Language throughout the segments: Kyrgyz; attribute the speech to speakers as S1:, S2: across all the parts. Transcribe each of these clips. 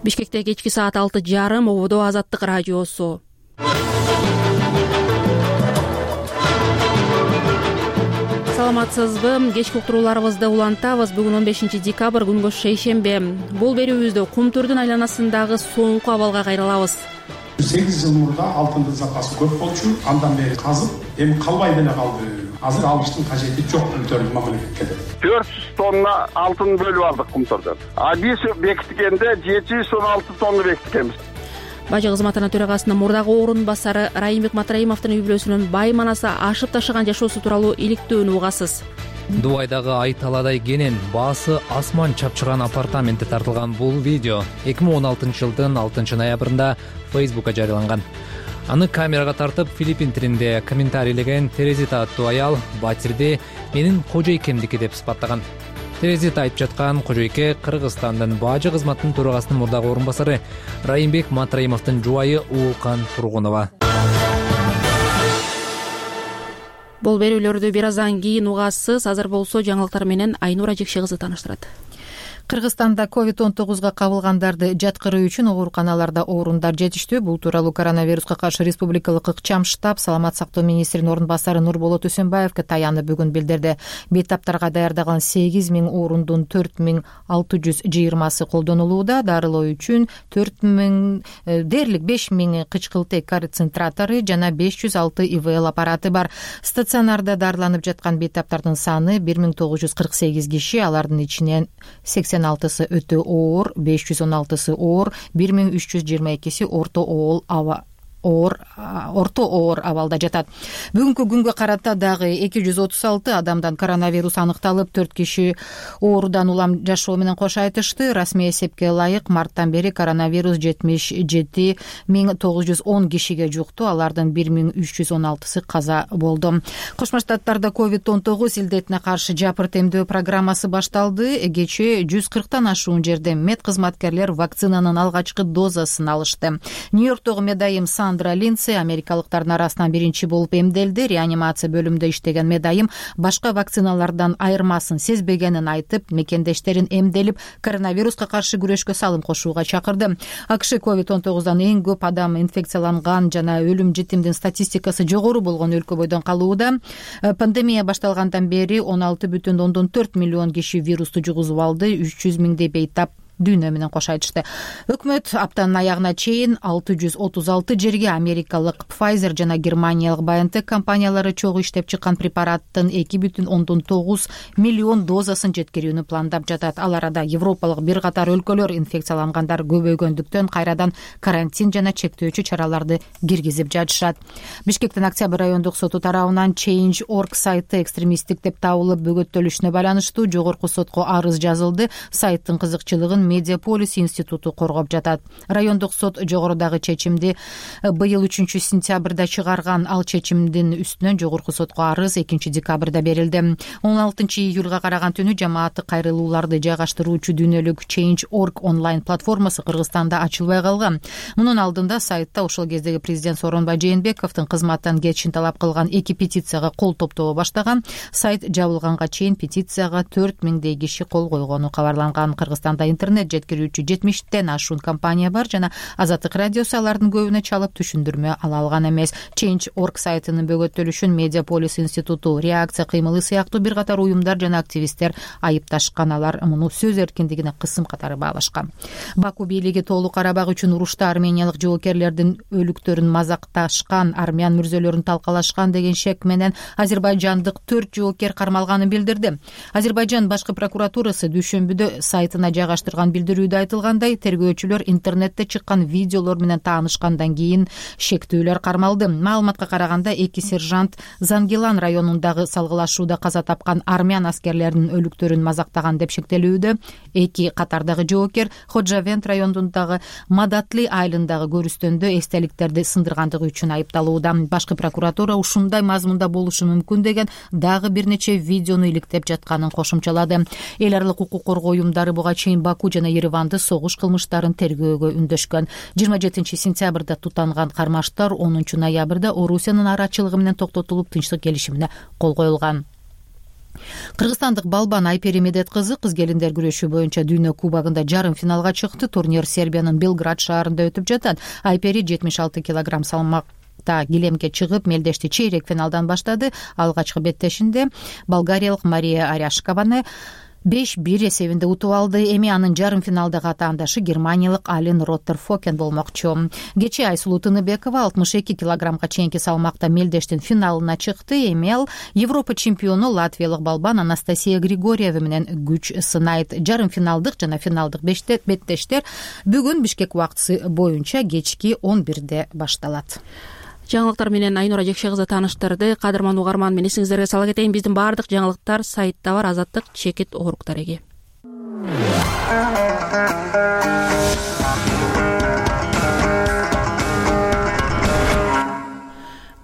S1: Бишкекте кечки саат 6:30 ободо Азаттык радиосу. Саламатсызбы? Кечки уктурууларыбызды улантабыз. Бүгүн 15 декабрь күнгө шейшембе. Бул берүүбүздө Кумтүрдүн айланасындагы соңку абалга кайрылабыз.
S2: 8 жыл мурда алтындын запасы көп болчу, андан бери казып, эми калбай деле калды. Азыр алыштын кажети жок Кумтүрдүн мамлекетке.
S3: 400 тонна алтын бөлүп алдык Кумтүрдөн. Биз бекиткенде 716 тонна бекиткенбиз.
S1: Бажы кызматынын төрагасынын мурдагы орун басары Райымбек Матраимовдун үй-бүлөсүнүн бай манаса ашып ташыган жашоосу тууралуу иликтөөнү угасыз.
S4: Дубайдагы ай таладай кенен баасы асман чапчыган апартаментте тартылган бул видео 2016-жылдын 6 ноябрында Facebook'ка жарыяланган. Аны камерага тартып Филиппин тилинде комментарийлеген Терезита аттуу аял батирди менин кожойкемдики деп сыпаттаган. Терезита айтып жаткан кожойке Кыргызстандын бажы кызматынын төрагасынын мурдагы орун басары Райымбек Матраимовдун жубайы Уулкан Тургунова.
S1: Бул берүүлөрдү бир аздан кийин угасыз. Азыр болсо жаңылыктар менен Айнура Жекше кызы тааныштырат.
S5: Кыргызстанда COVID-19 кабылгандарды жаткыруу үчүн ооруканаларда орундар жетиштүү. Бул тууралуу коронавируска каршы республикалык ыкчам штаб саламат сактоо министринин орун басары Нурболот Үсөнбаевге таянып бүгүн билдирди. Бейтаптарга даярдалган 8000 орундун 4620 колдонулууда. Дарылоо үчүн 4000 дээрлик 5000 кычкылтек концентратору жана 506 ИВЛ аппараты бар. Стационарда дарыланып жаткан бейтаптардын саны 1948 киши, алардын ичинен 86-сы өтө оор, 516-сы оор, 1322-си орто оор абалда жатат. Бүгүнкү күнгө карата дагы 236 адамдан коронавирус аныкталып, 4 киши оорудан улам жашоо менен кош айтышты. Расмий эсепке ылайык марттан бери коронавирус 77910 кишиге жукту, алардын 1316-сы каза болду. Кошмо Штаттарда COVID-19 илдетине каршы жапырт эмдөө программасы башталды. Кечээ 140тан ашуун жерде мед кызматкерлер вакцинанын алгачкы дозасын алышты. Нью-Йорктогу медайым Сандра Линдси америкалыктардын арасынан биринчи болуп эмделди. Реанимация бөлүмүндө иштеген медайым башка вакциналардан айырмасын сезбегенин айтып, мекендештерин эмделип, коронавируска каршы күрөшкө салым кошууга чакырды. АКШ COVID-19 эң көп адам инфекцияланган жана өлүм житимдин статистикасы жогору болгон өлкө бойдон калууда. Пандемия башталгандан бери 16,4 миллион киши вирусту жугузуп алды, 300 миңдей бейтап дүйнө менен кош айтышты. Өкмөт аптанын аягына чейин 636 жерге америкалык Pfizer жана германиялык BioNTech компаниялары чогуу иштеп чыккан препараттын 2,9 миллион дозасын жеткирүүнү пландап жатат. Ал арада европалык бир катар өлкөлөр инфекциялангандар көбөйгөндүктөн кайрадан карантин жана чектөөчү чараларды киргизип жатышат. Бишкектин Октябрь райондук соту тарабынан Change.org сайты экстремисттик деп табылып бөгөттөлүшүнө байланыштуу жогорку сотко арыз жазылды. Сайттын кызыкчылыгын Медиаполис институту коргоп жатат. Райондук сот жогорудагы чечимди быйыл 3-сентябрда чыгарган. Ал чечимдин үстүнөн жогорку сотко арыз 2-декабрда берилди. 16-июлга караган түнү жамааттык кайрылууларды жайгаштыруучу дүйнөлүк Change.org онлайн платформасы Кыргызстанда ачылбай калган. Мунун алдында сайтта ошол кездеги президент Сооронбай Жээнбековдун кызматтан кетишин талап кылган 2 петицияга кол топтоо баштаган. Сайт жабылганга чейин петицияга 4000 киши кол койгону кабарланган. Кыргызстанда интернет жеткирүүчү 70тен ашуун компания бар жана Азаттык радиосу алардын көбүнө чалып түшүндүрмө ала алган эмес. Change.org сайтынын бөгөттөлүшүн Медиаполис институту, реакция кыймылы сыяктуу бир катар уюмдар жана активисттер айыпташкан. Алар муну сөз эркиндигине кысым катары баалашкан. Баку бийлиги Тоолуу Карабак үчүн урушта армениялык жоокерлердин өлүктөрүн мазакташкан, армян мүрзөлөрүн талкалашкан деген шек менен азербайжандык 4 жоокер кармалганын билдирди. Азербайжан башкы прокуратурасы дүйшөмбүдө сайтына жайгаштырган билдирүүдө айтылгандай, тергөөчүлөр интернетте чыккан видеолор менен таанышкандан кийин шектүүлөр кармалды. Маалыматка караганда 2 сержант Зангилан районундагы салгылашууда каза тапкан армян аскерлеринин өлүктөрүн мазактаган деп шектелүүдө. 2 катардагы жоокер Ходжавент районундагы Мадатли айылындагы көрүстөндө эстеликтерди сындыргандыгы үчүн айыпталууда. Башкы прокуратура ушундай мазмунда болушу мүмкүн деген дагы бир нече видеону иликтеп жатканын кошумчалады. Эл аралык укук коргоо уюмдары буга чейин Баку жана Ереванды согуш кылмыштарын тергөөгө үндөшкөн. 27-сентябрда тутанган кармаштар 10 ноябрда Орусиянын арачылыгы менен токтотулуп, тынчтык келишимине кол коюлган. Кыргызстандык балбан Айпери Медет кызы кыз келиндер күрөшү боюнча дүйнө кубогунда жарым финалга чыкты. Турнир Сербиянын Белград шаарында өтүп жатат. Айпери 76 килограмм салмакта килемге чыгып, мелдешти чейрек финалдан баштады. Алгачкы беттешинде болгариялык Мария Аряшкованы 5-1 эсебинде утуп алды. Эми анын жарым финалдагы атаандашы германиялык Ален Роттерфокен болмокчу. Кечээ Айсулуу Тыныбекова 62 килограммга чейинки салмакта мелдештин финалына чыкты. Эми ал Европа чемпиону латвиялык балбан Анастасия Григорьева менен күч сынайт. Жарым финалдык жана финалдык беттештер бүгүн Бишкек убактысы боюнча кечки 11-де башталат.
S1: Жаңылыктар менен Айнура Жекше кызы тааныштырды. Кадырман угарман, мен эсиңиздерге сала кетейин, биздин баардык жаңылыктар сайтта бар. Азаттык чекит округ дареги.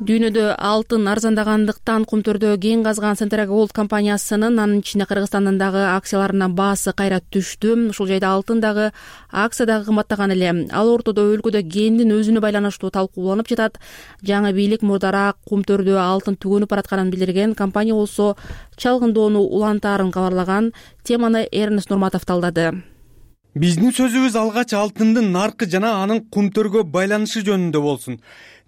S1: Дүйнөдө алтын арзандагандыктан Кумтөрдө кен казган Centera Gold компаниясынын, анын ичинде Кыргызстандын дагы акцияларынын баасы кайра түштү. Ушул жайда алтын дагы, акция дагы кымбаттаган эле. Ал ортодо өлкөдө кендин өзүнө байланыштуу талкууланып жатат. Жаңы бийлик мурдараак Кумтөрдө алтын түгөнүп баратканын билдирген. Компания болсо чалгындоону улантаарын кабарлаган. Теманы Эрнест Нурматов талдады.
S6: Биздин сөзүбүз алгач алтындын наркы жана анын Кумтөргө байланышы жөнүндө болсун.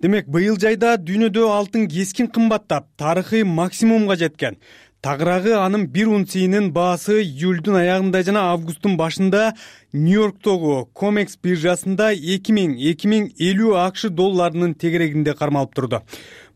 S6: Демек, быйыл жайда дүйнөдө алтын кескин кымбаттап, тарыхый максимумга жеткен. Тагыраагы анын 1 унциянын баасы июлдун аягында жана августтун башында Нью-Йорктогу COMEX биржасында 2000-2050 акш долларынын тегерегинде кармалып турду.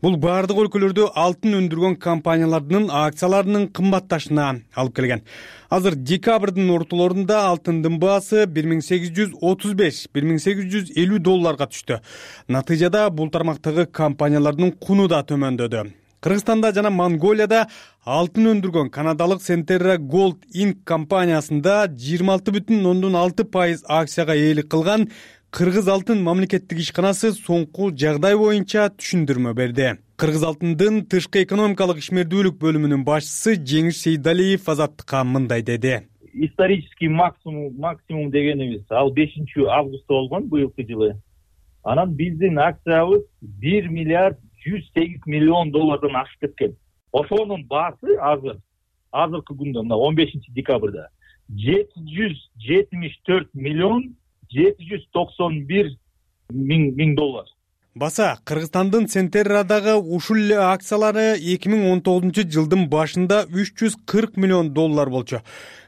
S6: Бул бардык өлкөлөрдө алтын өндүргөн компаниялардын акцияларынын кымбатташына алып келген. Азыр декабрдын ортолорунда алтындын баасы 1835-1850 долларга түштү. Натыйжада бул тармактагы компаниялардын куну да төмөндөдү. Кыргызстанда жана Монголияда алтын өндүргөн канадалык Centera Gold Inc. компаниясында 26,6% акцияга ээлик кылган Кыргыз алтын мамлекеттик ишканасы соңку жагдай боюнча түшүндүрмө берди. Кыргыз алтындын тышкы экономикалык ишмердүүлүк бөлүмүнүн башчысы Жеңиш Сейдалиев Азаттыкка мындай деди.
S7: Исторический максимум дегенибиз ал 5 августта болгон быйылкы жылы. Анан биздин акциябыз 1 миллиард 108 миллион доллардан ашып кеткен. Ошонун баасы азыркы күндө, 15 декабрда 774 миллион 791 миң доллар.
S6: Баса, Кыргызстандын Centera'дагы ушул эле акциялары 2019 жылдын башында 340 миллион доллар болчу.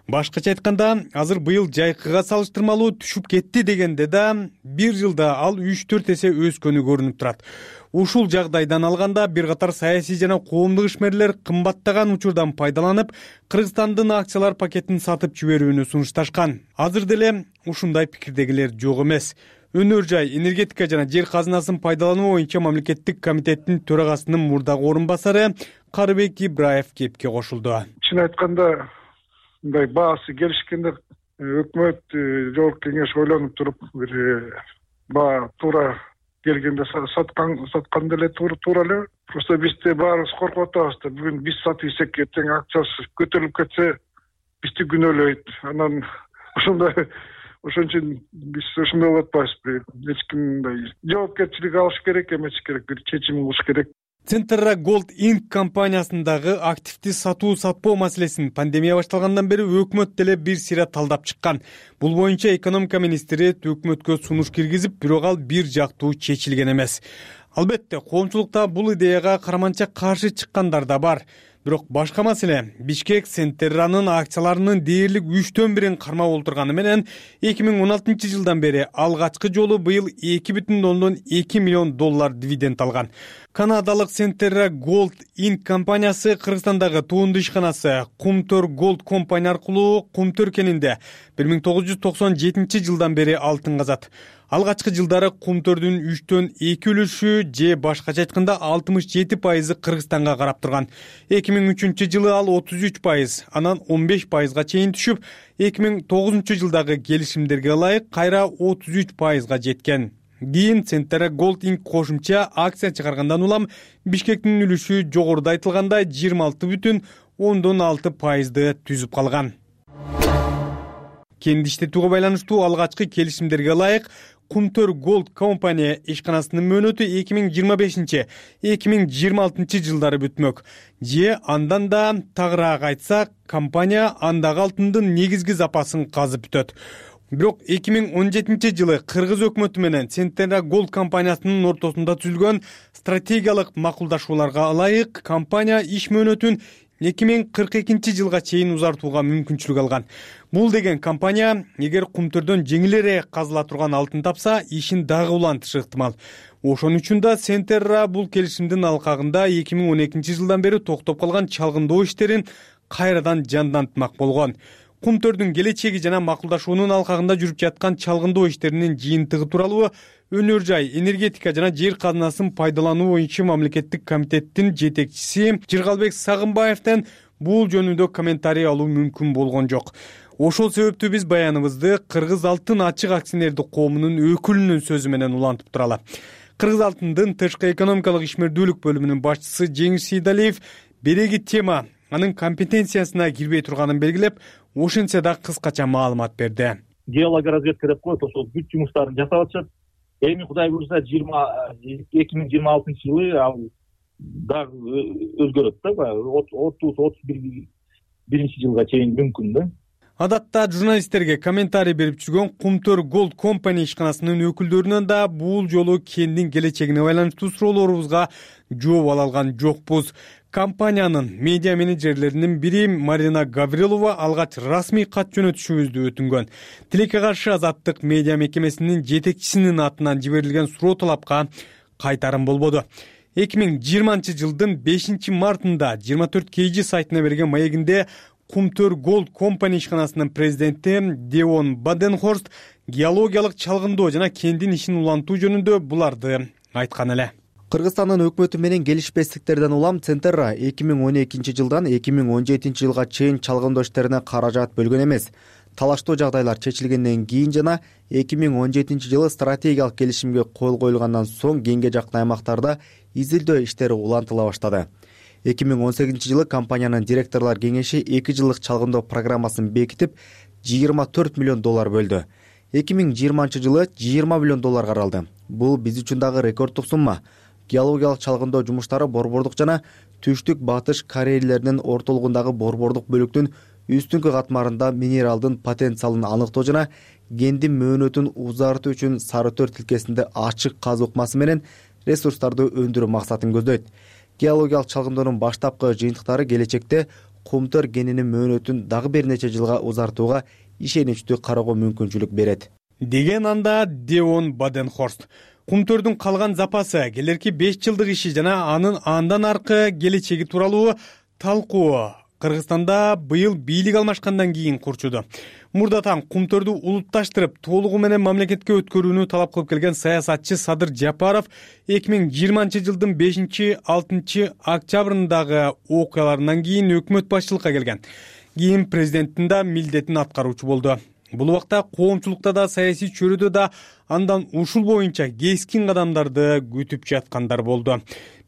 S6: Башкача айтканда, азыр быйыл жайкыга салыштырмалуу түшүп кетти дегенде да, бир жылда ал 3-4 эсе өскөнү көрүнүп турат. Ушул жагдайдан алганда бир катар саясий жана коомдук ишмерлер кымбаттаган учурдан пайдаланып, Кыргызстандын акциялар пакетин сатып жиберүүнү сунушташкан. Азыр деле ушундай пикирдегилер жок эмес. Өнөр жай, энергетика жана жер казынасын пайдалануу боюнча мамлекеттик комитеттин төрагасынын мурдагы орун басары Карыбек Ибраев кепке кошулду.
S8: Чын айтканда, мындай баасы келишкенде өкмөт жогорку кеңеш ойлонуп туруп, бир баа туура келгенде саткан деле туура эле. Просто бизде баарыбыз коркуп атабыз да, бүгүн биз сатып ийсек, эртең акциясы көтөрүлүп кетсе, бизди күнөөлөйт. Анан ошон үчүн биз ошондой болуп атпайбызбы? Эч ким мындай жоопкерчилик алыш керек, эмес керек, бир чечим кылыш керек.
S6: Centera Gold Inc. компаниясындагы активди сатуу-сатпоо маселесин пандемия башталгандан бери өкмөт деле бир сыйра талдап чыккан. Бул боюнча экономика министри өкмөткө сунуш киргизип, бирок ал бир жактуу чечилген эмес. Албетте, коомчулукта бул идеяга караманча каршы чыккандар да бар. Бирок башка маселе, Бишкек Centera'нын акцияларынын дээрлик 1/3 кармап олтурганы менен 2016 жылдан бери алгачкы жолу быйыл 2,2 миллион доллар дивиденд алган. Канадалык Centera Gold Inc. компаниясы Кыргызстандагы туунду ишканасы Кумтөр Gold Company аркылуу Кумтөр кенинде 1997 жылдан бери алтын казат. Алгачкы жылдары Кумтөрдүн 3/2 үлүшү же башкача айтканда 67% Кыргызстанга карап турган. 2003 жылы ал 33%, анан 15%га чейин түшүп, 2009 жылдагы келишимдерге ылайык кайра 33%га жеткен. Кийин Centera Gold Inc. кошумча акция чыгаргандан улам Бишкектин үлүшү жогоруда айтылгандай 26,6%ды түзүп калган. Кенди иштетүүгө байланыштуу алгачкы келишимдерге ылайык Кумтөр Gold компания ишканасынын мөөнөтү 2025-2026 жылдары бүтмөк. Же андан да тагыраак айтсак, компания андагы алтындын негизги запасын казып бүтөт. Бирок 2017 жылы Кыргыз өкмөтү менен Центерра Gold компаниясынын ортосунда түзүлгөн стратегиялык макулдашууларга ылайык компания иш мөөнөтүн 2042 жылга чейин узартууга мүмкүнчүлүк алган. Бул деген компания эгер кумтөрдөн жеңилирээк казыла турган алтын тапса, ишин дагы улантышы ыктымал. Ошон үчүн да Центерра бул келишимдин алкагында 2012 жылдан бери токтоп калган чалгындоо иштерин кайрадан жандантмак болгон. Кумтөрдүн келечеги жана макулдашуунун алкагында жүрүп жаткан чалгындоо иштеринин жыйынтыгы тууралуу Өнөр жай, энергетика жана жер казынасын пайдалануу боюнча мамлекеттик комитеттин жетекчиси Жыргалбек Сагынбаевден бул жөнүндө комментарий алуу мүмкүн болгон жок. Ошол себептүү биз баяныбызды Кыргыз алтын ачык акционердик коомунун өкүлүнүн сөзү менен улантып туралы. Кыргыз алтындын тышкы экономикалык ишмердүүлүк бөлүмүнүн башчысы Жеңиш Сейдалиев береги тема анын компетенциясына кирбей турганын белгилеп, ошентсе да кыскача маалымат берди.
S7: Геологоразведка деп коет, ошол бүт жумуштарын жасап атышат. Эми Кудай буюрса 2026 жылы ал дагы өзгөрөт да, 30-31 жылга чейин мүмкүн да.
S6: Адатта журналисттерге комментарий берип жүргөн Кумтөр Gold компания ишканасынын өкүлдөрүнөн да бул жолу кендин келечегине байланыштуу суроолорубузга жооп ала алган жокпуз. Компаниянын медиа менеджерлеринин бири Марина Гаврилова алгач расмий кат жөнөтүшүбүздү өтүнгөн. Тилекке каршы Азаттык медиа мекемесинин жетекчисинин атынан жиберилген суроо талапка кайтарым болбоду. 2020 жылдын 5 мартында 24 KG сайтына берген маегинде Кумтөр Gold компания ишканасынын президенти Деон Баденхорст геологиялык чалгындоо жана кендин ишин улантуу жөнүндө буларды айткан эле.
S9: Кыргызстандын өкмөтү менен келишпестиктерден улам Центерра 2012 жылдан 2017 жылга чейин чалгындоо иштерине каражат бөлгөн эмес. Талаштуу жагдайлар чечилгенден кийин жана 2017 жылы стратегиялык келишимге кол коюлгандан соң кеңге жакын аймактарда изилдөө иштери улантыла баштады. 2018 жылы компаниянын директорлор кеңеши 2 жылдык чалгындоо программасын бекитип, $24 миллион бөлдү. 2020 жылы $20 миллион каралды. Бул биз үчүн дагы рекорддук сумма. Геологиялык чалгындоо жумуштары борбордук жана түштүк батыш Корейлеринин ортолугундагы борбордук бөлүктүн үстүңкү катмарында минералдын потенциалын аныктоо жана кендин мөөнөтүн узартуу үчүн Сары Төр тилкесинде ачык казуу ыкмасы менен ресурстарды өндүрүү максатын көздөйт. Геологиялык чалгындоонун баштапкы жыйынтыктары келечекте Кумтөр кенинин мөөнөтүн дагы бир нече жылга узартууга ишеничтүү кароого мүмкүнчүлүк берет,
S6: деген анда Деон Баденхорст. Кумтөрдүн калган запасы, келерки 5 жылдык иши жана анын андан аркы келечеги тууралуу талкуу Кыргызстанда быйыл бийлик алмашкандан кийин курчуду. Мурдатан Кумтөрдү улутташтырып, толугу менен мамлекетке өткөрүүнү талап кылып келген саясатчы Садыр Жапаров 2020 жылдын 5-6 октябрындагы окуяларынан кийин өкмөт башчылыкка келген. Кийин президенттин да милдетин аткаруучу болду. Бул убакта коомчулукта да саясий чөрөдө да андан ушул боюнча кескин кадамдарды күтүп жаткандар болду.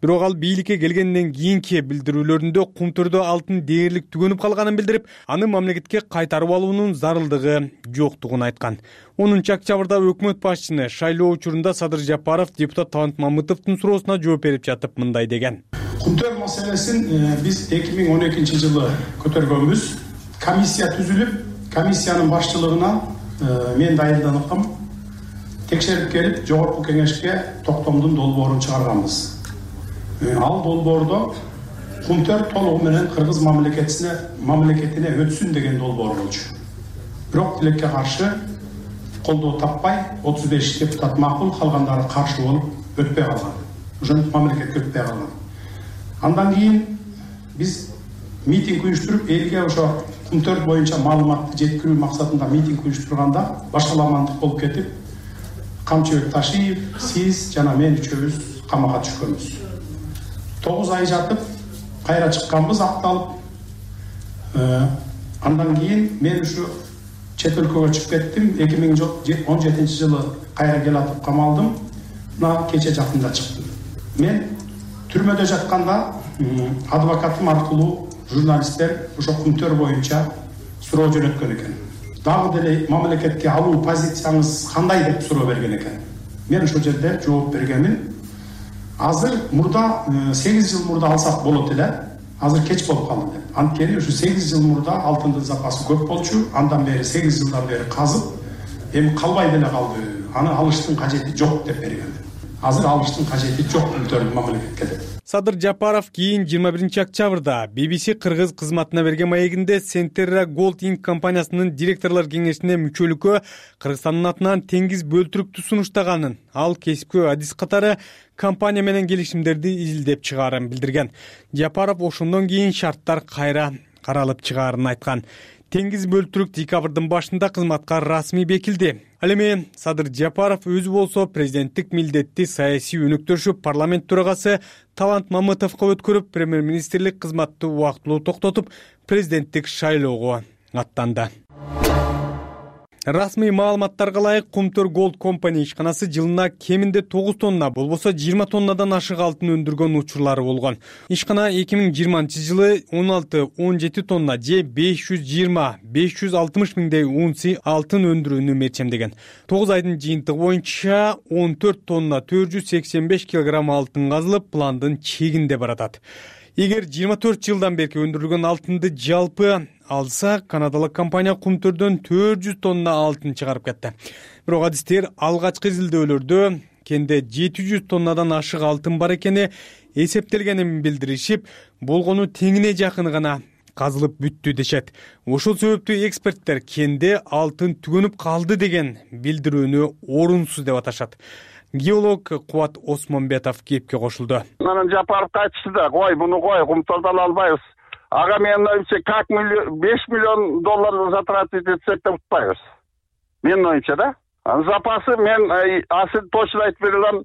S6: Бирок ал бийликке келгенден кийинки билдирүүлөрүндө Кумтөрдө алтын дээрлик түгөнүп калганын билдирип, аны мамлекетке кайтарып алуунун зарылдыгы жоктугун айткан. 10 октябрда өкмөт башчыны шайлоо учурунда Садыр Жапаров депутат Талант Мамытовдун суроосуна жооп берип жатып мындай деген.
S2: Кумтөр маселесин биз 2012 жылы көтөргөнбүз. Комиссия түзүлүп, комиссиянын башчылыгына мен дайындандым. Текшерип келип, жогорку кеңешке токтомдун долбоорун чыгарганбыз. Ал долбоордо Кумтөр толугу менен Кыргыз мамлекетине өтсүн деген долбоор болчу. Бирок тилекке каршы колдоо таппай 35 депутат макул, калгандары каршы болуп өтпөй калган. Ошентип мамлекетке өтпөй калган. Андан кийин биз митинг уюштуруп, элге ошо Кумтөр боюнча маалыматты жеткирүү максатында митинг уюштурганда башаламандык болуп кетип, Камчыбек Ташиев, сиз жана мен үчөөбүз камакка түшкөнбүз. 9 ай жатып, кайра чыкканбыз, акталып. Андан кийин мен ушу чет өлкөгө чыгып кеттим. 2017 жылы кайра келатып камалдым. Мына кече жакында чыктым. Мен түрмөдө жатканда адвокатым аркылуу журналисттер ошо Кумтөр боюнча суроо жөнөткөн экен. дагы деле мамлекетке алуу позицияңыз кандай деп суроо берген экен. Мен ошол жерде жооп бергенмин. Азыр мурда 8 жыл мурда алсак болот эле. Азыр кеч болуп калды деп. Анткени ушу 8 жыл мурда алтындын запасы көп болчу. Андан бери 8 жылдан бери казып, эми калбай деле калды. Аны алыштын кажети жок деп берген. Азыр алыштын кажети жок өлкөлүк мамлекетке деп.
S6: Садыр Жапаров кийин 21-октябрда BBC кыргыз кызматына берген маегинде Centerra Gold Inc. компаниясынын директорлор кеңешине мүчөлүккө Кыргызстандын атынан теңиз бөлтүрүктү сунуштаганын, ал кесипкө адис катары компания менен келишимдерди изилдеп чыгаарын билдирген. Жапаров ошондон кийин шарттар кайра каралып чыгаарын айткан. Теңиз бөлтүрүк декабрдын башында кызматка расмий бекилди. Ал эми Садыр Жапаров өзү болсо президенттик милдетти саясий өнөктөшү парламент төрагасы Талант Мамытовго өткөрүп, премьер-министрлик кызматты убактылуу токтотуп, президенттик шайлоого аттанды. Расмий маалыматтарга ылайык Кумтөр Gold Company ишканасы жылына кеминде 9 тонна, болбосо 20 тоннадан ашык алтын өндүргөн учурлары болгон. Ишкана 2020-жылы 16-17 тонна же 520-560 миңдей унция алтын өндүрүүнү мерчемдеген. 9 айдын жыйынтыгы боюнча 14 тонна 485 килограмм алтын казылып, пландын чегинде баратат. Эгер 24 жылдан берки өндүрүлгөн алтынды жалпы алса, канадалык компания Кумтөрдөн 400 тонна алтын чыгарып кетти. Бирок адистер алгачкы изилдөөлөрдө кенде 700 тоннадан ашык алтын бар экени эсептелгенин билдиришип, болгону теңине жакыны гана казылып бүттү дешет. Ошол себептүү эксперттер кенде алтын түгөнүп калды деген билдирүүнү орунсуз деп аташат. Геолог Кубат Осмонбетов кепке кошулду.
S3: Анан Жапаровго айтышты да, буну Кумтөрдөн албайбыз. Ага менин оюмча как 5 миллион доллар затратить этсек да утпайбыз. Менин оюмча да. Запасы мен азыр точно айтып бере алам.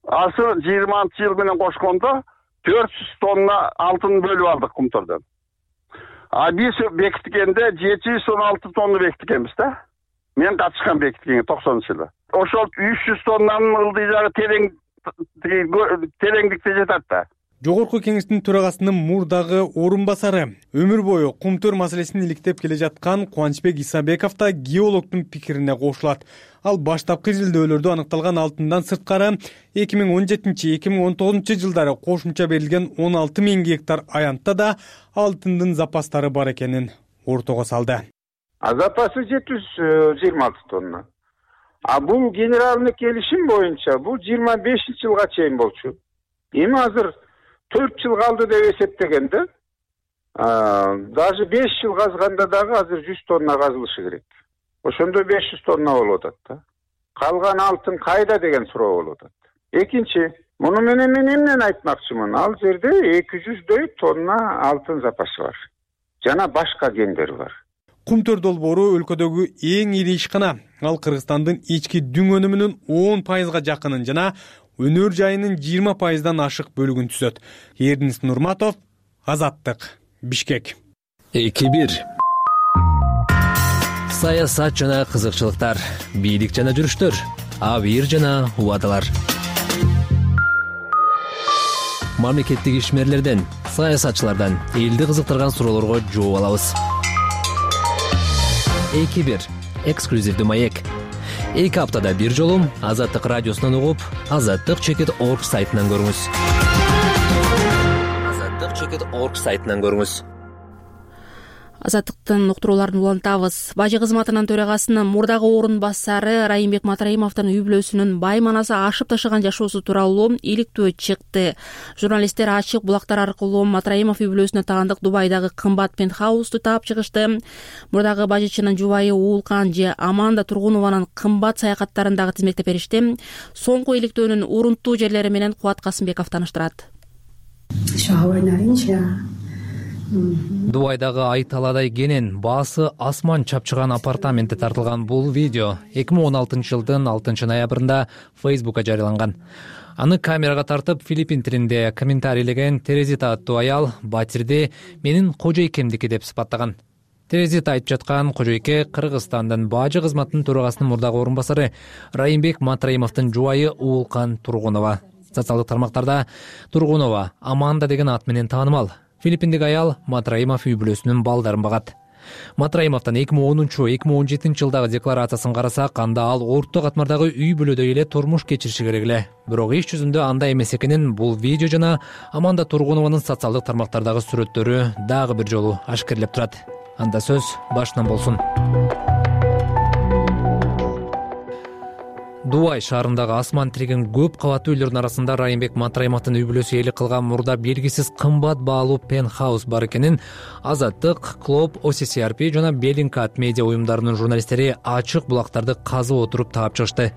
S3: Азыр 20-жыл менен кошкондо 400 тонна алтын бөлүп алдык Кумтөрдөн. Биз бекиткенде 716 тонна бекиткенбиз да. Мен катышкан бекиткенге 90-жылы. Ошол 300 тоннанын ылдый жагы тереңдикте жатат да.
S6: Жогорку кеңештин төрагасынын мурдагы орун басары, өмүр бою Кумтөр маселесин иликтеп келе жаткан Кубанычбек Исабеков да геологдун пикирине кошулат. Ал баштапкы изилдөөлөрдө аныкталган алтындан сырткары 2017-2019 жылдары кошумча берилген 16 000 гектар аянтта да алтындын запастары бар экенин ортого салды.
S10: Запасы 726 тонна. Бул генеральный келишим боюнча бул 25-жылга чейин болчу. Эми азыр 4 жыл калды деп эсептегенде, даже 5 жыл казганда дагы азыр 100 тонна казылышы керек. Ошондо 500 тонна болуп атат да. Калган алтын кайда деген суроо болуп атат. Экинчи, муну менен мен эмнени айтмакчымын? Ал жерде 200дөй тонна алтын запасы бар. Жана башка кендер бар.
S6: Кумтөр долбоору өлкөдөгү эң ири ишкана. Ал Кыргызстандын ички дүң өнүмүнүн 10% жакынын жана өнөр жайынын 20%дан ашык бөлүгүн түзөт. Эрдинис Нурматов, Азаттык, Бишкек.
S4: 2-1. Саясат жана кызыкчылыктар, бийлик жана жүрүштөр, абийир жана убадалар. Мамлекеттик ишмерлерден, саясатчылардан элди кызыктырган суроолорго жооп алабыз. 2-1. Эксклюзивдүү маек. 2 аптада бир жолу Азаттык радиосунан угуп, azattik.org сайтынан көрүңүз. azattik.org сайтынан көрүңүз.
S1: Азаттыктын уктурууларын улантабыз. Бажы кызматынын төрагасынын мурдагы орун басары Райымбек Матраимовдун үй бүлөсүнүн бай манасы ашып ташыган жашоосу тууралуу иликтөө чыкты. Журналисттер ачык булактар аркылуу Матраимов үй бүлөсүнө таандык Дубайдагы кымбат пентхаусту таап чыгышты. Мурдагы бажычынын жубайы Уулкан же Аманда Тургунованын кымбат саякаттарын дагы тизмектеп беришти. Соңку иликтөөнүн урунттуу жерлери менен Кубат Касымбеков тааныштырат.
S4: Дубайдагы Айталадай кенен баасы асман чапчыган апартаментте тартылган бул видео 2016 жылдын 6 ноябрында Facebook'a жарыяланган. Аны камерага тартып Филиппин тилинде комментарийлеген Терезита аттуу аял батирди менин кожойкемдики деп сыпаттаган. Терезита айтып жаткан кожойке Кыргызстандын бажы кызматынын төрагасынын мурдагы орун басары Райымбек Матраимовдун жубайы Уулкан Тургунова. Социалдык тармактарда Тургунова Аманда деген ат менен таанымал. Филиппиндик аял Матраимов үй бүлөсүнүн балдарын багат. Матраимовдун 2010-2017 жылдагы декларациясын карасак, анда ал орто катмардагы үй бүлөдөй эле турмуш кечириши керек эле. Бирок иш жүзүндө андай эмес экенин бул видео жана Аманда Тургунованын социалдык тармактардагы сүрөттөрү дагы бир жолу ашкерлеп турат. Анда сөз башынан болсун. Дубай шаарындагы асман тиреген көп кабаттуу үйлөрдүн арасында Райымбек Матраимовдун үй бүлөсү ээлик кылган мурда белгисиз кымбат баалуу пентхаус бар экенин Азаттык, Клоп, OCCRP жана Bellingcat медиа уюмдарынын журналисттери ачык булактарды казып отуруп таап чыгышты.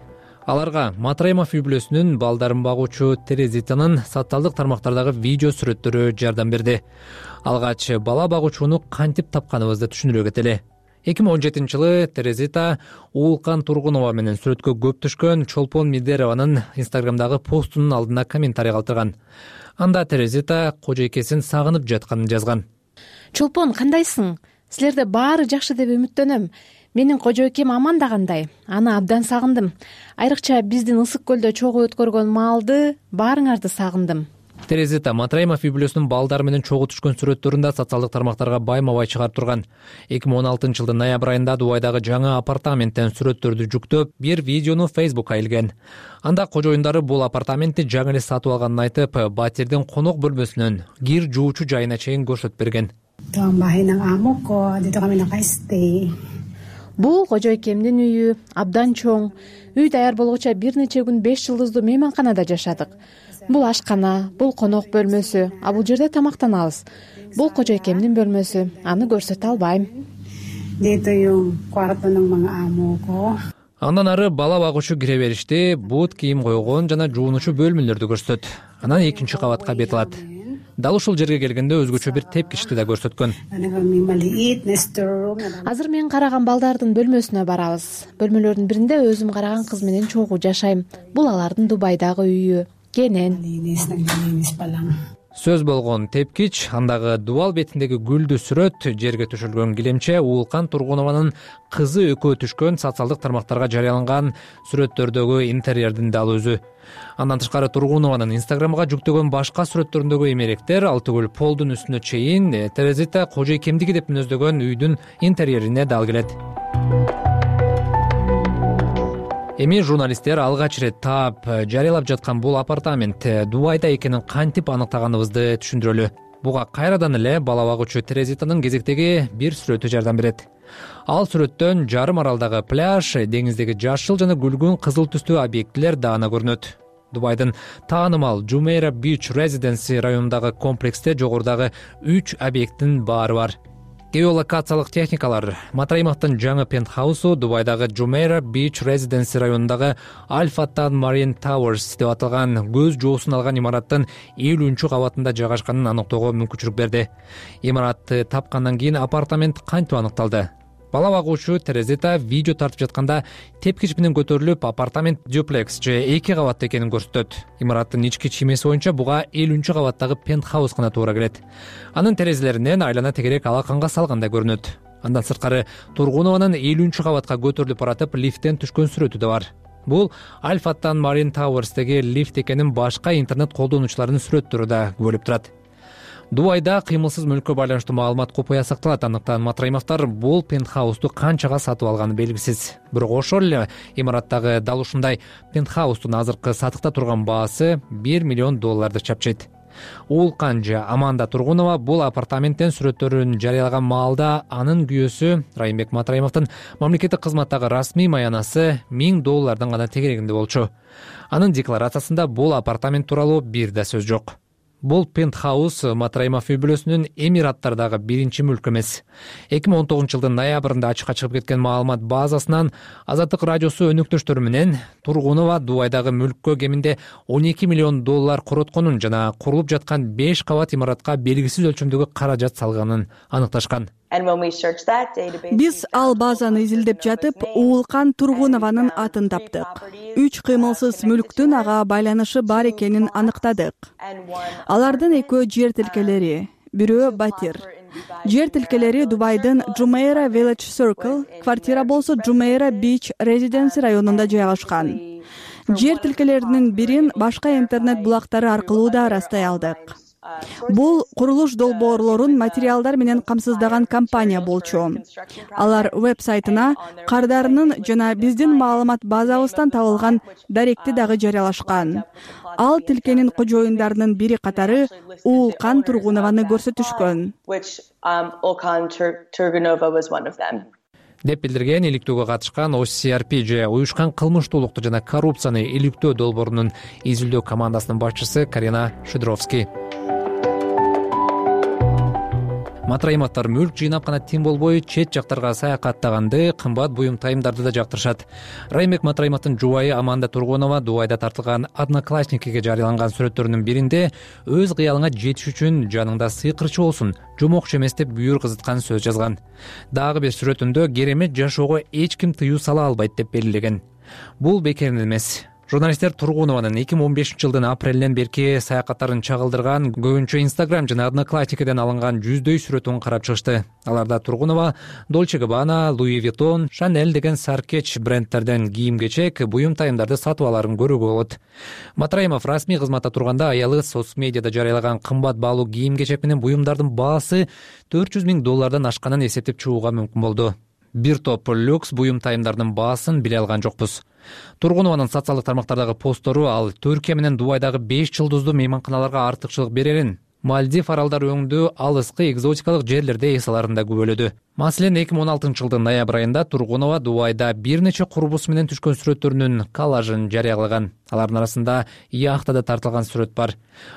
S4: Аларга Матраимов үй бүлөсүнүн балдарын багуучу Терезитанын социалдык тармактардагы видео сүрөттөрү жардам берди. Алгач бала багуучуну кантип тапканыбызды түшүндүрө кетели. 2017 жылы Терезита Уулкан Тургунова менен сүрөткө көп түшкөн Чолпон Мидерованын Инстаграмдагы постунун алдына комментарий калтырган. Анда Терезита кожойкесин сагынып жатканын жазган.
S11: Чолпон, кандайсың? Силерде баары жакшы деп үмүттөнөм. Менин кожойкем Аманда кандай? Аны абдан сагындым. Айрыкча биздин Ысык көлдө чогуу өткөргөн маалды, баарыңарды сагындым.
S4: Терезита Матраимов үй бүлөсүнүн балдары менен чогуу түшкөн сүрөттөрүндө социалдык тармактарга байма-бай чыгарып турган. 2016 жылдын ноябрь айында Дубайдагы жаңы апартаменттен сүрөттөрдү жүктөп, бир видеону Facebookка илген. Анда кожоюндары бул апартаментти жаңы эле сатып алганын айтып, батирдин конок бөлмөсүнөн кир жуучу жайына чейин көрсөтүп берген.
S11: Бул кожойкемдин үйү, абдан чоң. Үй даяр болгуча бир нече күн 5 жылдыздуу мейманканада жашадык. Бул ашкана, бул конок бөлмөсү, а бул жерде тамактанабыз. Бул кожойкемдин бөлмөсү, аны көрсөтө албайм.
S4: Андан ары бала багуучу кире беришти, бут кийим койгон жана жуунучу бөлмөлөрдү көрсөтөт. Анан экинчи кабатка бет алат. Дал ушул жерге келгенде өзгөчө бир тепкичти да көрсөткөн.
S11: Азыр мен караган балдардын бөлмөсүнө барабыз. Бөлмөлөрдүн биринде өзүм караган кыз менен чогуу жашайм. Бул алардын Дубайдагы үйү. Кенен.
S4: Сөз болгон тепкич, андагы дубал бетиндеги гүлдүү сүрөт, жерге төшөлгөн килемче, Уулкан Тургунованын кызы экөө түшкөн социалдык тармактарга жарыяланган сүрөттөрдөгү интерьердин дал өзү. Андан тышкары Тургунованын Инстаграмга жүктөгөн башка сүрөттөрүндөгү эмеректер ал түгүл полдун үстүнө чейин Терезита кожойкемдиги деп мүнөздөгөн үйдүн интерьерине дал келет. Эми журналисттер алгач ирет таап жарыялап жаткан бул апартамент Дубайда экенин кантип аныктаганыбызды түшүндүрөлү. Буга кайрадан эле бала багуучу Терезитанын кезектеги бир сүрөтү жардам берет. Ал сүрөттөн жарым аралдагы пляж, деңиздеги жашыл жана күлгүн кызыл түстүү объектилер даана көрүнөт. Дубайдын таанымал Jumeirah Beach Residency районундагы комплексте жогорудагы 3 объекттин баары бар. Геолокациялык техникалар Матраимовдун жаңы пентхаусу Дубайдагы Jumeirah Beach Residency районундагы Alpha Town Marine Towers деп аталган көз жоосун алган имараттын 50-чү кабатында жайгашканын аныктоого мүмкүнчүлүк берди. Имаратты тапкандан кийин апартамент кантип аныкталды? Бала багуучу Терезита видео тартып жатканда тепкич менен көтөрүлүп апартамент дюплекс же 2 кабаттуу экенин көрсөтөт. Имараттын ички чиймеси боюнча буга 50-чү кабаттагы пентхаус гана туура келет. Анын терезелеринен айлана тегерек алаканга салгандай көрүнөт. Андан сырткары Тургунованын 50-чү кабатка көтөрүлүп баратып лифттен түшкөн сүрөтү да бар. Бул Alpha Town Marine Towers'теги лифт экенин башка интернет колдонуучулардын сүрөттөрү да күбөлөп турат. Дубайда кыймылсыз мүлккө байланыштуу маалымат купуя сакталат. Андыктан Матраимовдор бул пентхаусту канчага сатып алганы белгисиз. Бирок ошол эле имараттагы дал ушундай пентхаустун азыркы сатыкта турган баасы $1 миллион чапчайт. Уулкан же Аманда Тургунова бул апартаменттен сүрөттөрүн жарыялаган маалда анын күйөөсү Райымбек Матраимовдун мамлекеттик кызматтагы расмий маянасы $1000 гана тегерегинде болчу. Анын декларациясында бул апартамент тууралуу бир да сөз жок. Бул пентхаус Матраимов үй бүлөсүнүн Эмираттардагы биринчи мүлкү эмес. 2019 жылдын ноябрында ачыкка чыгып кеткен маалымат базасынан Азаттык радиосу өнөктөштөрү менен Тургунова Дубайдагы мүлккө кеминде $12 миллион коротконун жана курулуп жаткан 5 кабат имаратка белгисиз өлчөмдөгү каражат салганын аныкташкан.
S12: Биз ал базаны изилдеп жатып, Уулкан Тургунованын атын таптык. 3 кыймылсыз мүлктүн ага байланышы бар экенин аныктадык. Алардын экөө жер тилкелери, бирөө батир. Жер тилкелери Дубайдын Jumeirah Village Circle, квартира болсо Jumeirah Beach Residency районунда жайгашкан. Жер тилкелеринин бирин башка интернет булактары аркылуу да ырастай алдык. Бул курулуш долбоорлорун материалдар менен камсыздаган компания болчу. Алар веб-сайтына кардарынын жана биздин маалымат базабыздан табылган даректи дагы жарыялашкан. Ал тилкенин кожоюндарынын бири катары Уулкан Тургунованы көрсөтүшкөн
S4: деп билдирген иликтөөгө катышкан OCRP же уюшкан кылмыштуулукту жана коррупцияны иликтөө долбоорунун изилдөө командасынын башчысы Карина Шидровский. Матраимовдор мүлк жыйнап гана тим болбой, чет жактарга саякаттаганды, кымбат буюм тайымдарды да жактырышат. Райымбек Матраимовдун жубайы Аманда Тургунова Дубайда тартылган Одноклассникиге жарыяланган сүрөттөрүнүн биринде өз кыялыңа жетиш үчүн жаныңда сыйкырчы болсун, жомокчу эмес деп бүйүр кызыткан сөз жазган. Дагы бир сүрөтүндө керемет жашоого эч ким тыюу сала албайт деп белгилеген. Бул бекеринен эмес. Журналисттер Тургунованын 2015-жылдын апрелинен берки саякаттарын чагылдырган көбүнчө Instagram жана Одноклассникиден алынган жүздөй сүрөтүн карап чыгышты. Аларда Тургунова Dolce & Gabbana, Louis Vuitton, Chanel деген саркеч брендтерден кийим-кечек, буюм тайымдарды сатып аларын көрүүгө болот. Матраимов расмий кызматта турганда аялы соц медиада жарыялаган кымбат баалуу кийим-кечек менен буюмдардын баасы $400,000 ашканын эсептеп чыгууга мүмкүн болду. Бир топ люкс буюм тайымдардын баасын биле алган жокпуз. Тургунованын социалдык тармактардагы посттору ал Түркия менен Дубайдагы 5 жылдыздуу мейманканаларга артыкчылык берерин, Мальдив аралдары өңдүү алыскы экзотикалык жерлерде эс аларын да күбөлөдү. Маселен, 2016-жылдын ноябрь айында Тургунова Дубайда бир нече курбусу менен түшкөн сүрөттөрүнүн коллажын жарыялаган. Алардын арасында яхтада тартылган сүрөт бар.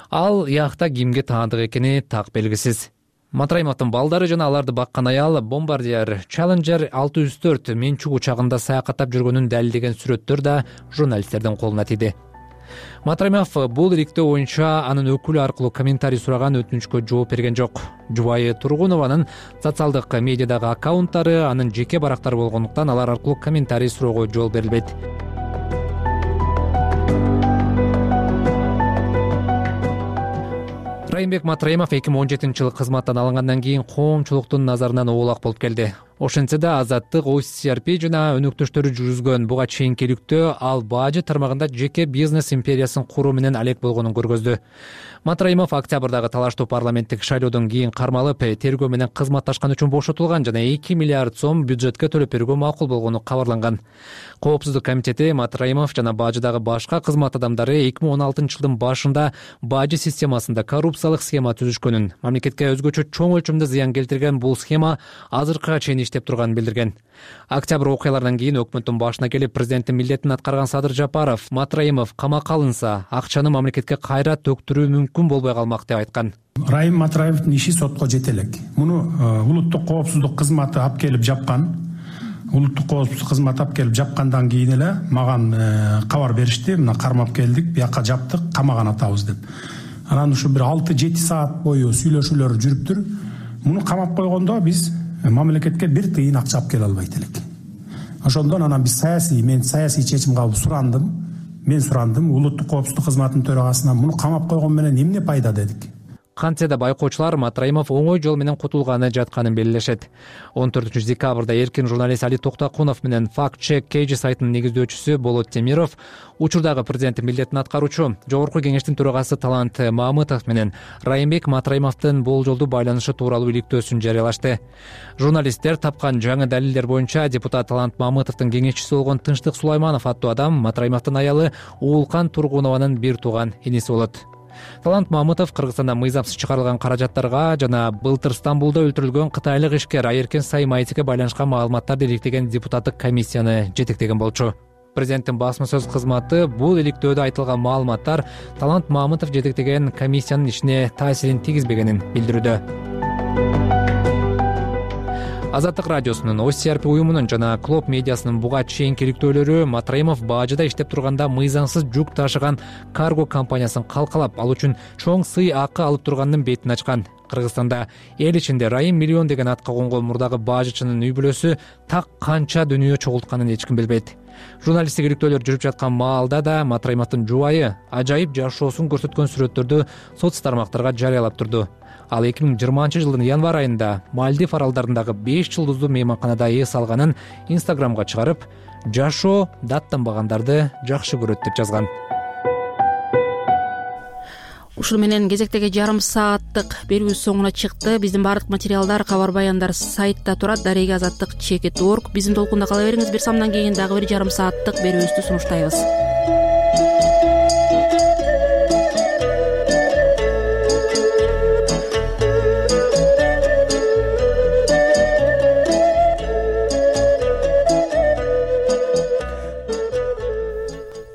S4: Ал яхта кимге таандык экени так белгисиз. Матраимовдун балдары жана аларды баккан аял Bombardier Challenger 604 менчук учагында саякаттап жүргөнүн далилдеген сүрөттөр да журналисттердин колуна тийди. Матраимов бул иликтөө боюнча анын өкүлү аркылуу комментарий сураган өтүнүчкө жооп берген жок. Жубайы Тургунованын социалдык медиадагы аккаунттары анын жеке барактары болгондуктан алар аркылуу комментарий суроого жол берилбейт. Райымбек Матраимов 2017-жылы кызматтан алынгандан кийин коомчулуктун назарынан оолак болуп келди. Ошентсе да Азаттык, OCRP жана өнөктөштөрү жүргүзгөн буга чейинки иликтөө ал бажы тармагында жеке бизнес империясын куруу менен алек болгонун көргөздү. Матраимов октябрдагы талаштуу парламенттик шайлоодон кийин кармалып, тергөө менен кызматташкан үчүн бошотулган жана 2 миллиард сом бюджетке төлөп берүүгө макул болгону кабарланган. Коопсуздук комитети Матраимов жана бажыдагы башка кызмат адамдары 2016-жылдын башында бажы системасында коррупциялык схема түзүшкөнүн, мамлекетке өзгөчө чоң өлчөмдө зыян келтирген бул схема азыркыга чейин иштеп турганын билдирген. Октябрь окуяларынан кийин өкмөттүн башына келип президенттин милдетин аткарган Садыр Жапаров Матраимов камакка алынса, акчаны мамлекетке кайра төктүрүү мүмкүн болбой калмак деп айткан.
S2: Райым Матраимовдун иши сотко жете элек. Муну улуттук коопсуздук кызматы алып келип жапкан. Улуттук коопсуздук кызматы алып келип жапкандан кийин эле маган кабар беришти. Мына кармап келдик, бияка жаптык, камаган атабыз деп. Анан ушу бир 6-7 саат бою сүйлөшүүлөр жүрүптүр. Муну камап койгондо биз мамлекетке бир тыйын акча алып келе албайт элек. Ошондон анан биз мен саясий чечим кабыл сурандым. Мен сурандым улуттук коопсуздук кызматынын төрагасынан муну камап койгон менен эмне пайда дедик.
S4: Кантсе да байкоочулар Матраимов оңой жол менен кутулганы жатканын белгилешет. 14-декабрда эркин журналист Али Токтакунов менен Fact Check KG сайтынын негиздөөчүсү Болот Темиров, учурдагы президенттин милдетин аткаруучу Жогорку кеңештин төрагасы Талант Мамытов менен Райымбек Матраимовдун болжолдуу байланышы тууралуу иликтөөсүн жарыялашты. Журналисттер тапкан жаңы далилдер боюнча депутат Талант Мамытовдун кеңешчиси болгон Тынчтык Сулайманов аттуу адам Матраимовдун аялы Уулкан Тургунованын бир тууган иниси болот. Талант Мамытов Кыргызстанда мыйзамсыз чыгарылган каражаттарга жана былтыр Стамбулда өлтүрүлгөн кытайлык ишкер Айеркен Саймайтиге байланышкан маалыматтарды иликтеген депутаттык комиссияны жетектеген болчу. Президенттин басма сөз кызматы бул иликтөөдө айтылган маалыматтар Талант Мамытов жетектеген комиссиянын ишине таасирин тийгизбегенин билдирүүдө. Азаттык радиосунун, OCRP уюмунун жана Клоп медиасынын буга чейинки иликтөөлөрү Матраимов бажыда иштеп турганда мыйзамсыз жүк ташыган карго компаниясын калкалап, ал үчүн чоң сый акы алып турганын бетин ачкан. Кыргызстанда эл ичинде Райым миллион деген атка конгон мурдагы бажычынын үй бүлөсү так канча дүнүйө чогултканын эч ким билбейт. Журналисттик иликтөөлөр жүрүп жаткан маалда да Матраимовдун жубайы ажайып жашоосун көрсөткөн сүрөттөрдү соц тармактарга жарыялап турду. Ал 2020-жылдын январь айында Мальдив аралдарындагы 5 жылдыздуу мейманканада эс алганын Instagramга чыгарып, жашоо даттанбагандарды жакшы көрөт деп жазган.
S1: ушуну менен кезектеги жарым сааттык берүүбүз соңуна чыкты. Биздин баардык материалдар, кабар баяндар сайтта турат. Дарега азаттык .org. Биздин толкунда кала бериңиз. Бир самдан кийин дагы бир жарым сааттык берүүбүздү сунуштайбыз.